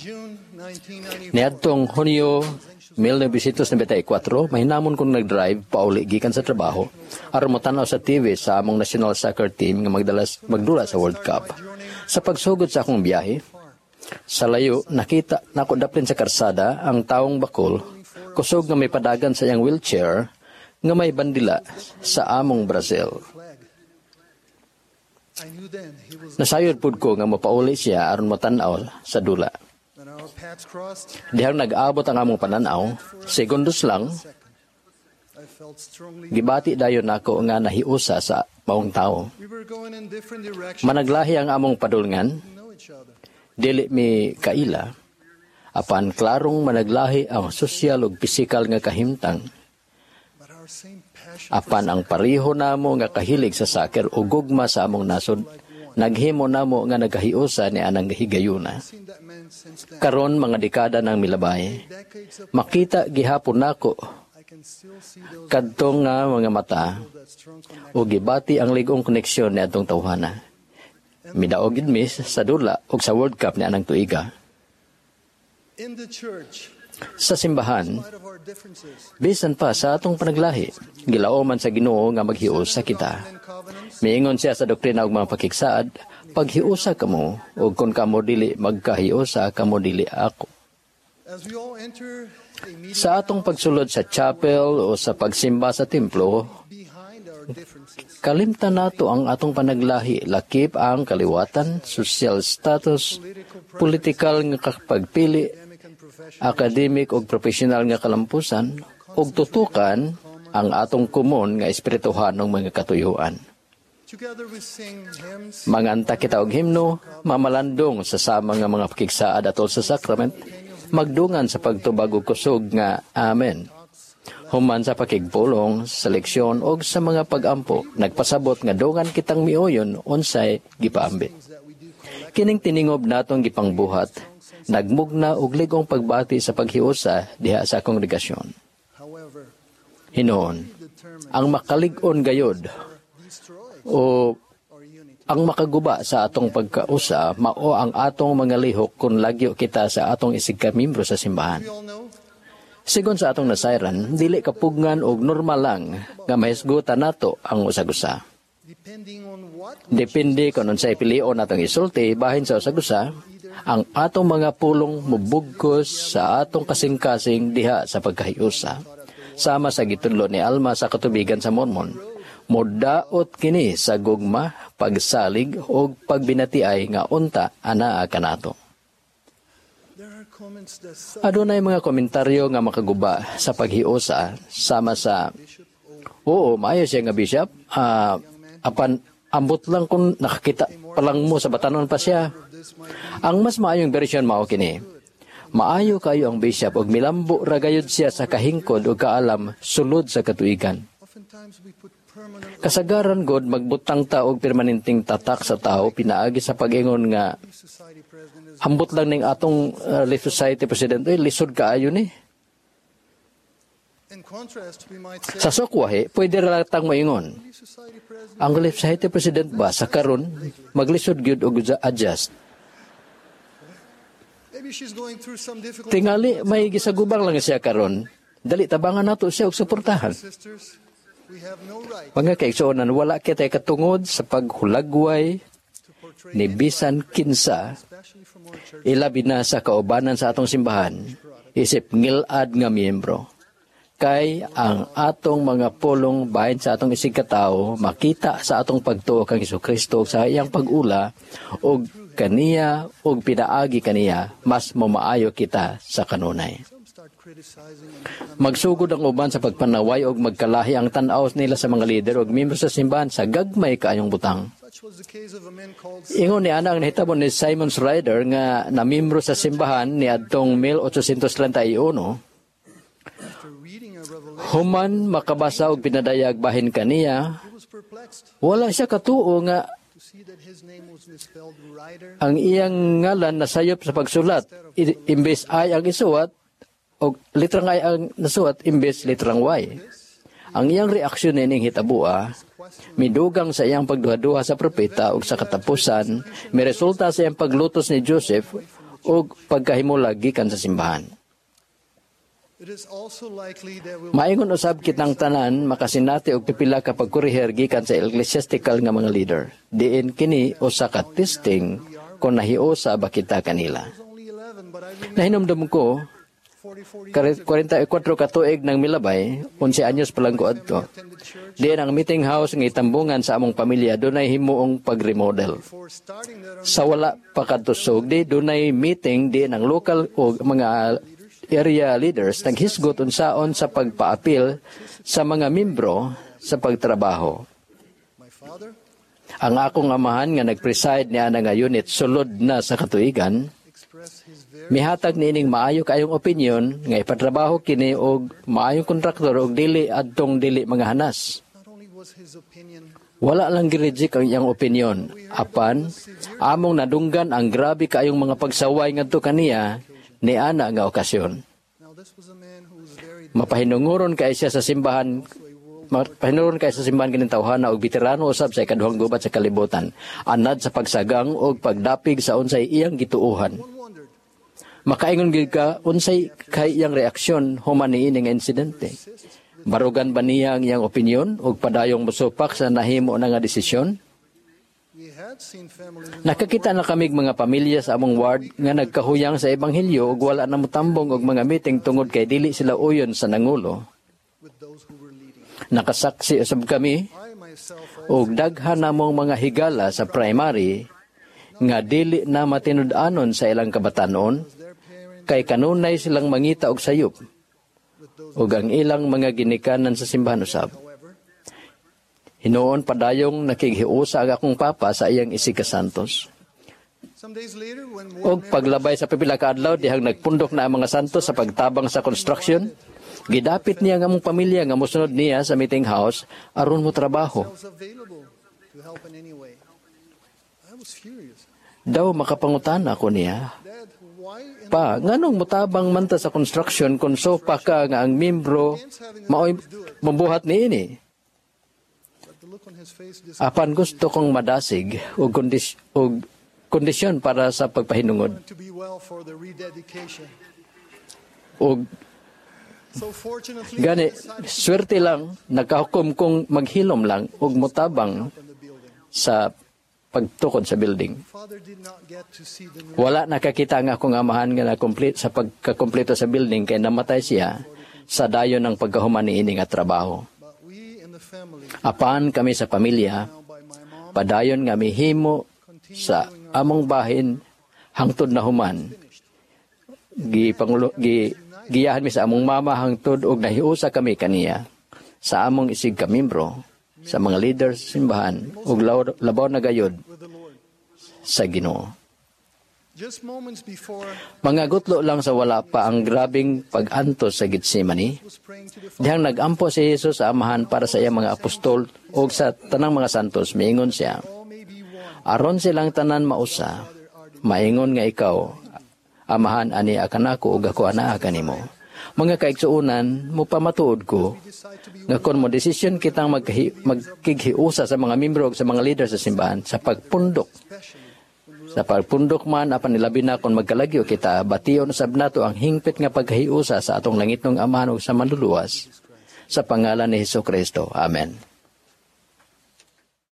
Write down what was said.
June 1994, Niadtong Hunyo 1994, mahinamon kong nag-drive pauli gikan sa trabaho aron motan-aw sa TV sa among national soccer team nga magdula sa World Cup. Sa pagsugod sa akong biyahe, sa layo nakita nako daplin sa karsada ang tawong bakol, kusog nga may padagan sa iyang wheelchair nga may bandila sa among Brazil. Flag. I knew then he was Nasayod pud ko nga mopauli siya aron motan-aw sa dula. Then our paths crossed. Dihang nag-abot ang among pananaw, segundos lang, Second. I felt strongly. Gibati dayon nako nga nahiusa sa maong tao. We were going in different directions. Managlahi ang among padulngan, Didn't know each other. Dili mi kaila, apan klarong managlahi ang sosyal ug pisikal nga kahimtang, But our same passion apan ang pareho namo nga kahilig sa soccer ug gugma sa among nasod, naghimo namo nga nagkahiusa ni anang higayuna. Seen that man since then. Karon mga dekada nang milabay, Decades of makita gihapon nako I can still see those kadtong nga mga mata that strong connection. ug gibati ang lig-ong koneksyon ni atong tawhana. Midaog gid mi sa dula ug sa World Cup ni anang tuiga. In the church, Sa simbahan, in spite of our differences, bisan pa sa atong panaglahi, gilaoman sa Ginoo nga maghiusa kita. And covenants, Miingon siya sa Doktrina ug mga Pakigsaad, "Paghiusa kamo, ug kung kamo dili magkahiusa, kamo dili ako." As we all enter a meeting Sa atong pagsulod sa chapel o sa pagsimba sa templo, behind our differences, kalimtan nato ang atong panaglahi, lakip ang kaliwatan, social status, politikal nga kapagpili, academic and professional academic ug professional nga kalampusan, ug tutukan ang atong komon nga espirituhanong mga katuyuan. Together we sing hymns, Manganta kita og himno, mamalandong sa sama nga mga pakigsaad atol sa sacrament, magdungan sa pagtubag og kusog nga "Amen." Human sa pakigpulong, sa leksyon og sa mga pagampo, nagpasabot nga dungan kitang miuyon unsay gipaambit. That we do collect Kining tiningob natong gipangbuhat, nagmugna og lig-ong pagbati sa paghiusa diha sa kongregasyon. However, Hinuon, determined ang makalig-on gayod destroy o our unity. Ang makaguba sa atong pagkausa mao ang atong mga lihok kung lagyo kita sa atong isig ka miyembro sa simbahan. We all know Sigon sa atong nasayran, dili kapugngan og normal lang nga mahisgutan nato ang usag-usa. Depending on what Depende kung unsay pilion natong isulti bahin sa usag-usa, ang atong mga pulong mubugkos sa atong kasing-kasing diha sa pagkahiusa. Sama sa gitudlo ni Alma sa Katubigan sa Mormon, modaot kini sa gugma, pagsalig ug pagbinatiay nga unta anaa kanato. There are comments that some Adunay mga komentaryo nga makaguba sa paghiusa sama sa bishop or "Oo, maayo siya nga bishop. Ah, apan ambot lang kung nakakita pa lang mo sa batanon pa siya." This might be Ang mas maayong bersyon mao kini: "Maayo kayo ang bishop ug milambo ra gayud siya sa kahingkod ug kaalam sulod sa katuigan." Oftentimes we put permanent Kasagaran god magbutang ta og permanenteng tatak sa tao pinaagi sa pag-ingon nga society president is "Ambot lang ning atong Relief Society president, oy, lisod kaayo ni." In contrast, we might say Sa sukwahi, pwede ra tang moingon, Relief Society president "Ang Relief Society president ba sa karon maglisod gyud og adjust." Maybe she's going through some difficult "Tingali may gisagubang lang siya karon. Dali, tabangan nato siya og suportahan." Sisters, we have no right Mga kaigsuonan, wala kitay katungod sa paghulagway to portray ni bisan kinsa, especially from our church ilabi na sa kaubanan sa atong simbahan, isip ngilad nga miyembro. Kay ang atong mga pulong bahin sa atong isig katawo makita sa atong pagtuo kang Hesukristo ug sa iyang pag-ula ug kaniya ug pinaagi kaniya, mas mamaayo kita sa kanunay. Some start criticizing and becoming Magsugod ang uban sa pagpanaway og magkalahi ang tan-aw nila sa mga lider ug miyembro sa simbahan sa gagmay kaayong butang. Such was the case of a man called Ingon ni ana ang nahitabo ni Simon Schreider nga namiyembro sa simbahan ni adtong 1831. After reading a revelation, Human makabasa og pinadayag bahin kaniya, he was perplexed wala siya katuo nga to see that his name was misspelled Ryder ang iyang ngalan nasayop sa pagsulat. Imbes I ang isuwat og litrang I ang nasuwat imbes litrang Y. Ang iyang reaksyon nining hitabua midugang sa iyang pagduha-duha sa propeta ug sa katapusan miresulta sa iyang paglutos ni Joseph ug pagkahimulag gikan sa simbahan. It is also likely that we will Maingon usab kitang tanan makasinati og pipila ka pagkorehir gikan sa ecclesiastical nga mga leader. Diin kini usa ka testing kung nahiusa ba kita kanila. was only 11, but I remember Nahinumdum ko, 44 years 44 ka tuig nang milabay, 11 anyos pa lang ko adto. attended church Diin ang meeting house nga itambungan sa among pamilya dunay himuong pag-remodel. before starting that Sa wala pa kadto sugdi, dunay meeting diin ang local o mga area leaders naghisgot unsaon sa pagpaapil sa mga membro sa pagtrabaho. My father Ang akong amahan nga nag-preside niya nga unit sulod na sa katuigan, expressed his very mihatag niining maayo kaayong opinion nga ipatrabaho kini og maayong kontraktor og dili adtong dili mga hanas. Not only was his opinion Wala lang gi-reject ang iyang opinion. Apan, among nadunggan ang grabe kaayong mga pagsaway ngadto kaniya ni ana nga okasyon. Now this was a man who was very Mapahinunguron kay siya sa simbahan kining tawhana og veterano usab sa ikaduhang gubat sa kalibutan, anad sa pagsagang og pagdapig sa unsay iyang gituohan. One wondered Makaingon gyud ka unsay kay iyang reaksyon human niini nga insidente. Barugan ba niya ang iyang opinyon og padayong mosupak sa nahimo na nga desisyon? We had seen families in Nakakita na kamig mga pamilya sa among ward nga nagkahuyang sa ebanghelyo ug wala na motambong og mga meeting tungod kay dili sila uyon sa nangulo. with those who were leading. Nakasaksi usab kami I myself og daghan namong mga higala sa primary nga dili na matinud-anon sa ilang kabatanon their parents kay kanunay silang mangita og sayop with those ug ang ilang mga ginikanan sa simbahan usab. However, Hinuon padayong nakighiusa ang akong papa sa iyang isig ka santos. Some days later, when ward Og paglabay sa pipila ka adlaw dihang nagpundok na ang mga santos sa pagtabang sa construction, gidapit niya ang among pamilya nga mosunod niya sa meeting house aron mo trabaho. Was available to help in any way. I was furious. Daw makapangutana ko niya, "Dad, why in "Pa, nganong mutabang man ta sa construction kung sopa ka nga ang membro maoy mabuhat niini?" But the look on his face Apan gusto kong madasig og kondisyon para sa pagpahinungod. To be well for the rededication. Og So fortunately, gani I decided swerte lang nakahukom kong maghilom lang og mutabang to open the building. sa pagtukod sa building. Father did not get to see the new Wala nakakita ang akong amahan nga na-complete sa pagkakompleto sa building kay namatay siya sa dayon ng pagkahuman niini nga trabaho. But we in the family, Apan kami sa pamilya, now by my mom, padayon nga mihimo sa among bahin hangtod na human. Gi pangulo gi giyahan mi sa among mama hangtod og nahiusa kami kaniya sa among isig ka membro, sa mga leaders sa simbahan ug labaw na gayod with the Lord. sa Ginoo. Just moments before Mga gutlo lang sa wala pa ang grabing pag-antos sa Gethsemane, was praying to the Father, dihang nagampo si Jesus sa Amahan para sa iyang mga apostol ug sa tanang mga santos, miingon siya, all may be one. "Aron silang tanan mausa, maingon nga ikaw, Amahan, ania kanako ug ako anaa kanimo." Mga kaigsuonan, mupamatuod ko Decide to be nga kon mo desisyon kitang magkighiusa sa mga membro ug sa mga leader sa simbahan especially when sa pagpundok man apan ilabi na kung magkalagyo kita, bation usab nato ang hingpit nga pagkahiusa sa atong langitnong Amahan ug sa Manluluwas sa pangalan ni Hesus Kristo. Amen.